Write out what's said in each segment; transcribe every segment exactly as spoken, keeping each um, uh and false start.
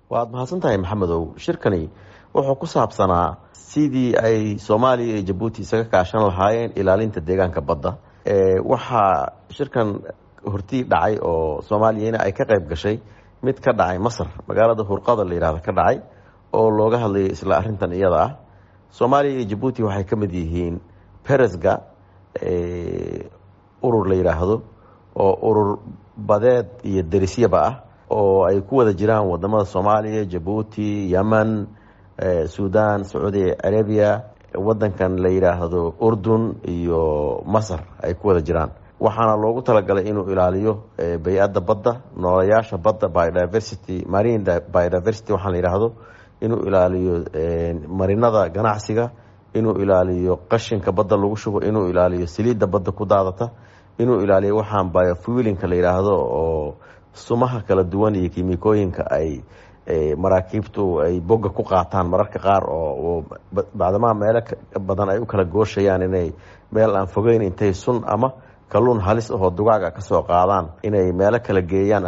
Waad mahadsan tahay, Maxamedow. Shirkani wuxuu ku saabsanaa sidii ay Soomaaliya iyo Jabuuti isaga kaashan lahaayeen ilaalinta deegaanka badda. Waxaa shirkan hortii dhacay oo Soomaaliyana ay ka qayb gashay mid ka dhacay Masar, magaalada Hurqada la yihahdo ka dhacay, oo looga hadlayay isla arrintan iyada ah. Soomaaliya iyo Jabuuti waxay ka mid yihiin Peresga urur la yidhaahdo, oo urur badeed iyo derisyaba ah, oo ay ku wada jiraan wadamada Soomaaliya, Jabuuti, Yemen, Sudan, Sacuudi Arabia, wadankan la yidhaahdo Urdun iyo Masar ay ku wada jiraan. Waxaana loogu talagalay inuu ilaaliyo bay-adda badda, noolayaasha badda, biodiversity, marine biodiversity waxaan la yidhaahdo, inuu ilaaliyo marinada ganacsiga, inuu ilaaliyo qashinka badda lagu shubo, inuu ilaaliyo saliidda badda ku daadata, inuu ilaaliyo waxaan biofuelinka la yidhaahdo oo sumaha kala duwan iyo kiimikooyinka ay maraakiibtu ay bogga ku qaataan mararka qaar, oo bacdamaha meelo badan ay u kala gooshayaan, inay meel aan fogeyn intay sun ama kalluun halis ahoo dugaaga kasoo qaadaan inay meelo kala geeyaan.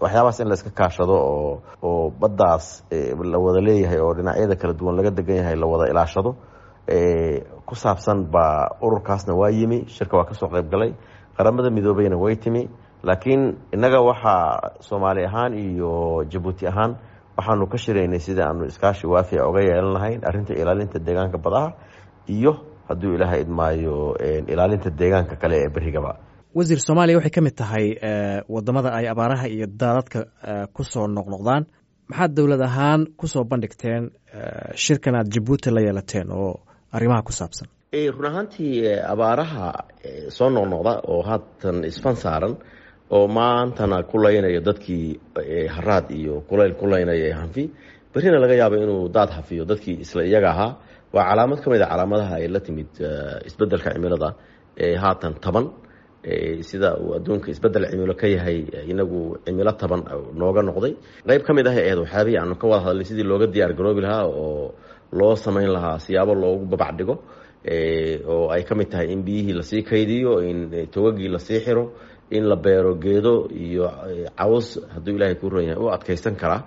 Waxyaabahaas in la iska kaashado oo oo baddaas la wada leeyahay oo dhinacyada kala duwan laga degan yahay la wada ilaashado ku saabsan baa ururkaasna waa yimi shirka, waa kasoo qayb galay. Qaramada Midoobeyna way timi, laakiin innaga waxaa Soomaali ahaan iyo Jabuuti ahaan waxaanu ka shiraynay sidii aanu iskaashi waafica uga yeelan lahayn arrinta ilaalinta deegaanka badaha iyo, hadduu Ilaahay idmaayo, ilaalinta deegaanka kale ee berigaba. Wasiir, Soomaaliya waxay ka mid tahay wadamada ay abaaraha iyo daadadka ku soo noqnoqdaan. Maxaad dowlad ahaan kusoo bandhigteen shirkan aad Jabuuti la yeelateen oo arrimaha ku saabsan? Run ahaantii, abaaraha soo noqnoqda oo haatan isfan saaran oo maantana ku laynayo dadkii haraad iyo kulayl ku laynaya ee hanfi, berrina laga yaabo inuu daad hafiyo dadkii isla iyaga ahaa, waa calaamad ka mid a calaamadaha ay la timid isbeddelka cimilada ee haatan taban. Sida uu adduunka isbeddel cimilo ka yahay, inagu cimilo taban nooga noqday. Qayb ka mid ah ahayd waxyaabihii aanu ka wada hadlay sidii looga diyaar garoobi lahaa oo loo samayn lahaa siyaabo loogu babac dhigo, oo ay ka mid tahay in biyihii lasii kaydiyo, in togagii lasii xiro, in la beero geedo iyo caws, hadduu Ilaahay kuu ron yahay, u adkaysan karaa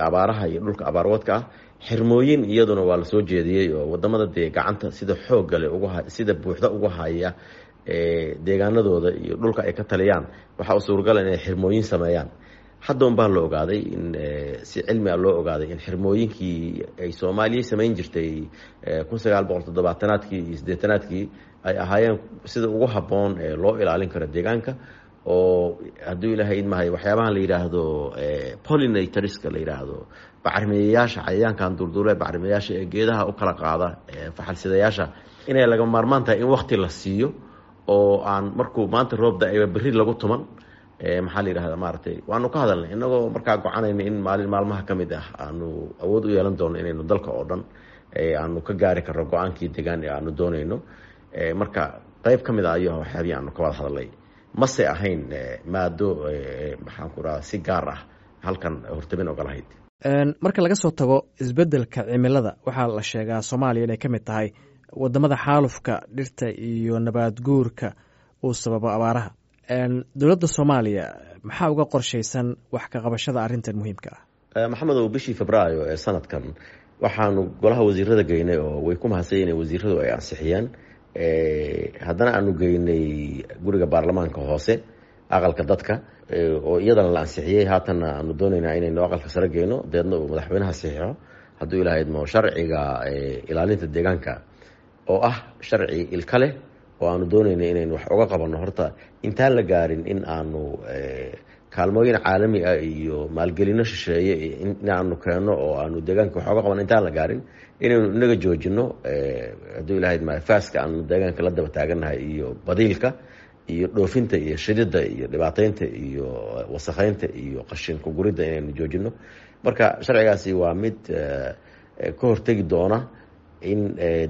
abaaraha iyo dhulka abaarwadka ah. Xirmooyin iyaduna waa lasoo jeediyey oo wadamada dee gacanta sida xooggale uga sida buuxda uga haya deegaanadooda iyo dhulka ay ka taliyaan, waxaa u suuragala inay xirmooyin sameeyaan. Hadda un baa la ogaaday in si cilmi a loo ogaaday in xirmooyinkii ay Soomaaliya samayn jirtay kun sagaal boqol toddobaatanaadkii iyo siddeetanaadkii ay ahaayeen sida ugu habboon ee loo ilaalin karo deegaanka, oo hadduu Ilaahay idmahay waxyaabahan la yidhaahdo pollinatorska la yidhaahdo, bacrimiyayaasha, cayayaankan duurduule bacrimiyayaasha ee geedaha u kala qaada, faxalsidayaasha, inay laga maarmaan tahay in wakti la siiyo oo aan markuu maanta roob da-ayba berri lagu tuman. Maxaa la yidhahda, maaragtay, waanu ka hadalnay inagoo markaa gocanayna in maalin maalmaha ka mid ah aanu awood u yeelan doono inaynu dalka oo dhan aanu ka gaari karno go-aankii degaan ee aanu doonayno. Marka qayb ka mid ah ayuu waxyaabihii aanu ka wada hadalnay, mase ahayn maado, maxaan ku rahaa, si gaar ah halkan hortabin oga lahayd. Marka laga soo tago isbeddelka cimilada, waxaa la sheegaa Soomaaliya inay ka mid tahay wadamada xaalufka dhirta iyo nabaad guurka uu sababo abaaraha. Dowladda Soomaaliya maxaa uga qorshaysan wax ka qabashada arrintan muhiimka ah? Maxamedow, bishii Febraayo ee sanadkan waxaanu golaha wasiirada geynay, oo way ku mahadsan inay wasiiradu ay ansixiyeen, haddana aanu geynay guriga baarlamaanka hoose, aqalka dadka, oo iyadana la ansixiyey. Haatanna aanu doonaynaa inaynu aqalka sare geyno, deedna uu madaxweynaha saxiixo, hadduu Ilaha idmo, sharciga ilaalinta deegaanka oo ah sharci ilka leh oo aanu doonayna inaynu wax uga qabanno. Horta intaan la gaarin in aanu kaalmooyin caalami ah iyo maalgelino shisheeye in aanu keenno oo aanu deegaanka wax uga qabanno, intaan la gaarin inaynu inaga joojino, hadduu Ilaha idmaayo, faaska aanu deegaanka la daba taagannahay iyo badiilka iyo dhoofinta iyo shidida iyo dhibaateynta iyo wasakheynta iyo qashin kuguridda inaynu joojino. Marka sharcigaasi waa mid ka hortegi doona in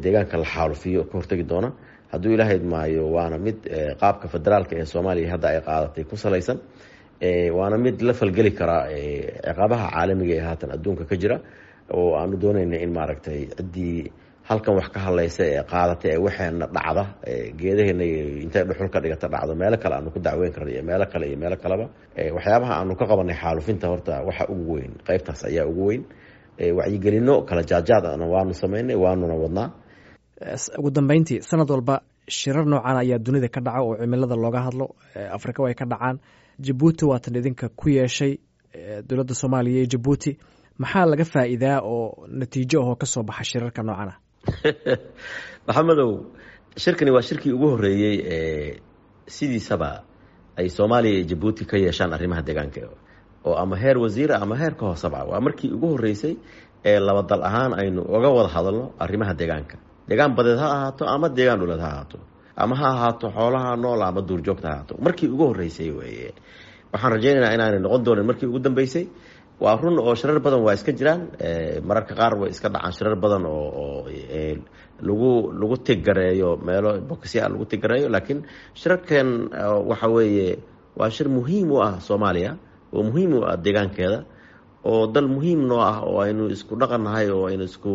deegaanka la xaalufiyo, ka hortegi doona, hadduu Ilaha idmaayo, waana mid qaabka federaalka ee Soomaaliya hadda ay qaadatay ku salaysan, waana mid la falgeli karaa ciqaabaha caalamiga ee haatan adduunka ka jira, oo aanu doonayna in maaragtay ciddii Halkan wax ka hadlaysa ee qaadata ee waxeena dhacda, geedaheena intay dhuxul ka dhigata dhacdo, meelo kale aanu ku dacweyn karna iyo meelo kale iyo meelo kaleba. Waxyaabaha aanu ka qabanay xaalufinta horta waxa ugu weyn qeybtaas ayaa ugu weyn. Wacyigelino kala jaajaadna waanu sameynay, waanuna wadnaa. Ugu dambeyntii, sanad walba shirar noocan ayaa dunida ka dhaca oo cimilada looga hadlo. Afrika way ka dhacaan. Jabuuti waatan idinka ku yeeshay dowladda Soomaaliya iyo Jabuuti. Maxaa laga faa'iidaa oo natiijo ahoo kasoo baxa shirarka noocan ah? Maxamedow, shirkani waa shirkii ugu horreeyey ee sidiisaba ay Soomaaliya iyo Jabuuti ka yeeshaan arrimaha deegaanka, oo ama heer wasiira ama heer ka hoosaba. Waa markii ugu horreysay ee laba dal ahaan aynu uga wada hadalno arrimaha deegaanka, deegaan badeed ha ahaato ama deegaan dhuleed ha ahaato, ama ha ahaato xoolaha nool ama duurjoogta ha ahaato. Markii ugu horreysay weeye. Waxaan rajaynaynaa inaanay noqon doonin markii ugu dambeysay. Waa run oo shirar badan waa iska jiraan, mararka qaar way iska dhacaan shirar badan oo oo lagu lagu tiggareeyo meelo bokisya lagu tiggareeyo, laakiin shirarkan waxa weeye waa shir muhiim u ah Soomaaliya oo muhiim u ah deegaankeeda, oo dal muhiim noo ah, oo aynu isku dhaqan nahay, oo aynu isku,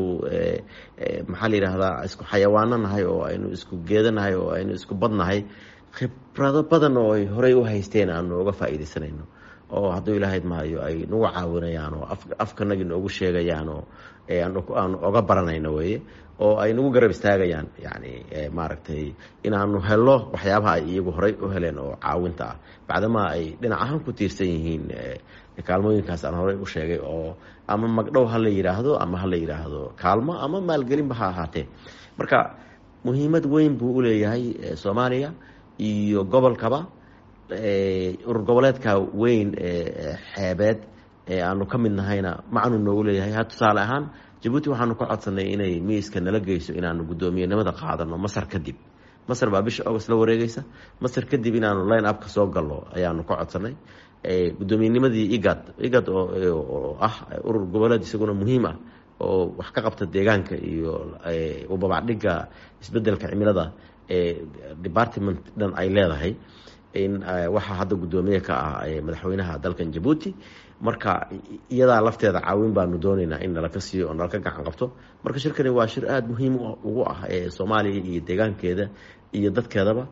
maxaa la yidhaahdaa, isku xayawaano nahay, oo aynu isku geedo nahay, oo aynu isku badnahay. Khibrado badan oo ay horey u haysteen aanu uga faa'iidaysanayno, oo hadduu Ilaahayd maayo ay nagu caawinayaan oo afkanagii noogu sheegayaan oo aanu oga baranayno weeye, oo ay nagu garab istaagayaan, yacni maaragtay, inaanu helo waxyaabaha ay iyagu horey u heleen oo caawinta ah, bacdamaa ay dhinac ahaan ku tiirsan yihiin kaalmooyinkaas aan horey u sheegay, oo ama magdhow ha la yidhaahdo ama ha la yidhaahdo kaalmo ama maalgelinba ha ahaatee. Marka muhiimad weyn buu u leeyahay Soomaaliya iyo gobolkaba. Urur goboleedka weyn ee xeebeed ee aanu ka mid nahayna macnuu noogu leeyahay. Ha tusaale ahaan, Jabuuti waxaanu ka codsanay inay miiska nala geyso inaanu guddoomiyenimada qaadano Masar kadib. Masar baa bisha August la wareegeysa. Masar kadib inaanu line up ka soo galno ayaanu ka codsanay guddoomiyenimadii IGAD. IGAD oo ah urur goboleed isaguna muhiim ah oo wax ka qabta deegaanka iyo ubabacdhigga isbedelka cimilada ee department dhan ay leedahay, in waxaa hadda guddoomiye ka ah madaxweynaha dalkan Jabuuti. Marka iyadaa lafteeda caawin baanu doonaynaa in nalaka siiyo oo nalaka gacan qabto. Marka shirkani waa shir aada muhiim ugu ah ee Soomaaliya iyo deegaankeeda iyo dadkeedaba.